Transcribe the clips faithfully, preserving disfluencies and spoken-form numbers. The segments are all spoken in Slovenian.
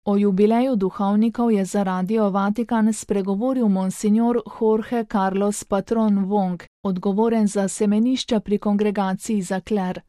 O jubileju duhovnikov je za Radio Vatikan spregovoril monsignor Jorge Carlos Patron Wong, odgovoren za semenišča pri kongregaciji za kler.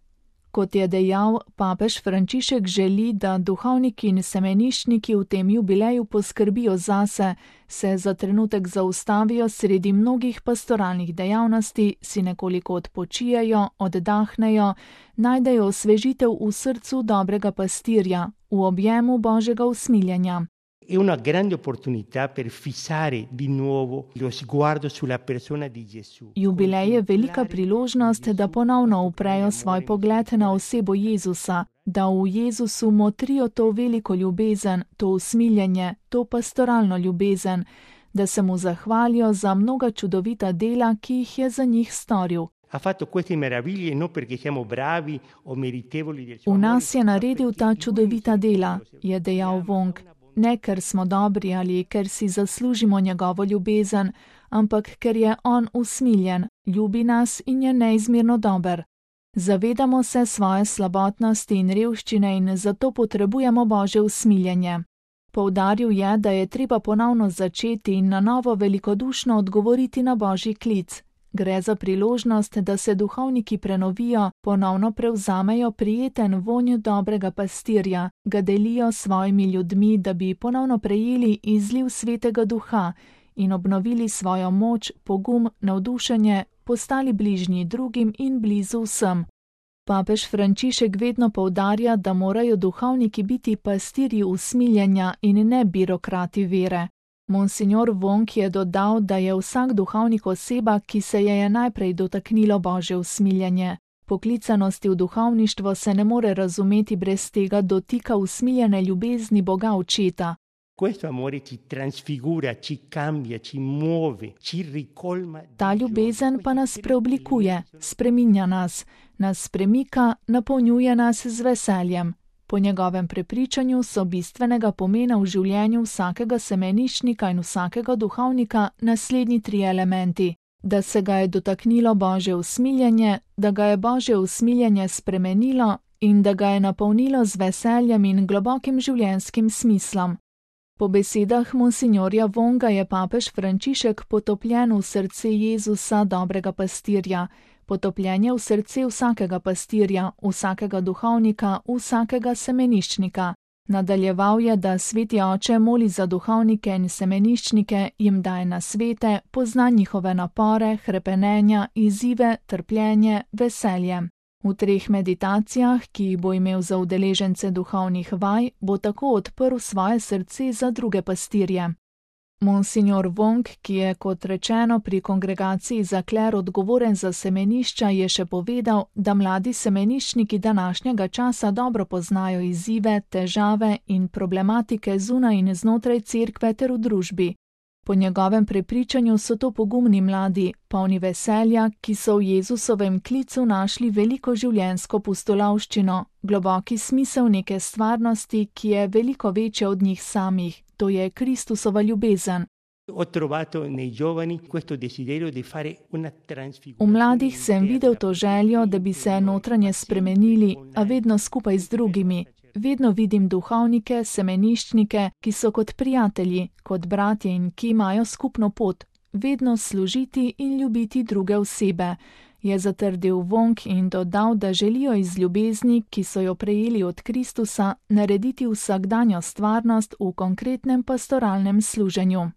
Kot je dejal, papež Frančišek želi, da duhovniki in semeniščniki v tem jubileju poskrbijo zase, se za trenutek zaustavijo sredi mnogih pastoralnih dejavnosti, si nekoliko odpočijejo, oddahnejo, najdejo osvežitev v srcu dobrega pastirja, v objemu Božjega usmiljenja. È una grande opportunità per fissare di nuovo lo sguardo sulla persona di Gesù. Jubilej je velika priložnost, da ponovno uprejo svoj pogled na osebo Jezusa, da v Jezusu motrijo to veliko ljubezen, to usmiljenje, to pastoralno ljubezen, da se mu zahvalijo za mnoga čudovita dela, ki jih je za njih storil. Ha fatto queste meraviglie non perché siamo bravi o meritevoli del suo V amore. nas je naredil ta čudovita dela, je dejal Wong. Ne, ker smo dobri ali ker si zaslužimo njegovo ljubezen, ampak ker je on usmiljen, ljubi nas in je neizmerno dober. Zavedamo se svoje slabotnosti in revščine in zato potrebujemo Božje usmiljenje. Poudaril je, da je treba ponovno začeti in na novo velikodušno odgovoriti na Božji klic. Gre za priložnost, da se duhovniki prenovijo, ponovno prevzamejo prijeten vonj dobrega pastirja, ga delijo s svojimi ljudmi, da bi ponovno prejeli izliv Svetega Duha in obnovili svojo moč, pogum, navdušenje, postali bližnji drugim in blizu vsem. Papež Frančišek vedno poudarja, da morajo duhovniki biti pastirji usmiljenja in ne birokrati vere. Monsignor Wong je dodal, da je vsak duhovnik oseba, ki se je je najprej dotaknilo Božje usmiljenje. Poklicanosti v duhovništvo se ne more razumeti brez tega dotika usmiljene ljubezni Boga Očeta. Questo amore ci trasfigura, ci cambia, ci muove, ci ricolma. Ta ljubezen pa nas preoblikuje, spreminja nas, nas premika, napolnjuje nas z veseljem. Po njegovem prepričanju so bistvenega pomena v življenju vsakega semeniščnika in vsakega duhovnika naslednji tri elementi. Da se ga je dotaknilo Božje usmiljenje, da ga je Božje usmiljenje spremenilo in da ga je napolnilo z veseljem in globokim življenjskim smislom. Po besedah monsignorja Wonga je papež Frančišek potopljen v srce Jezusa, dobrega pastirja, potopljen je v srce vsakega pastirja, vsakega duhovnika, vsakega semeniščnika. Nadaljeval je, da Sveti Oče moli za duhovnike in semeniščnike, jim daje nasvete, pozna njihove napore, hrepenenja, izzive, trpljenje, veselje. V treh meditacijah, ki jih bo imel za udeležence duhovnih vaj, bo tako odprl svoje srce za druge pastirje. Monsignor Wong, ki je, kot rečeno, pri kongregaciji za kler odgovoren za semenišča, je še povedal, da mladi semeniščniki današnjega časa dobro poznajo izzive, težave in problematike zunaj in znotraj cerkve ter v družbi. Po njegovem prepričanju so to pogumni mladi, polni veselja, ki so v Jezusovem klicu našli veliko življenjsko pustolovščino, globoki smisel neke stvarnosti, ki je veliko večja od njih samih, to je Kristusova ljubezen. Ho trovato nei giovani questo desiderio di fare una V trasfigurazione. mladih sem videl to željo, da bi se notranje spremenili, a vedno skupaj z drugimi. Vedno vidim duhovnike, semeniščnike, ki so kot prijatelji, kot bratje in ki imajo skupno pot, vedno služiti in ljubiti druge osebe, je zatrdil Wong in dodal, da želijo iz ljubezni, ki so jo prejeli od Kristusa, narediti vsakdanjo stvarnost v konkretnem pastoralnem služenju.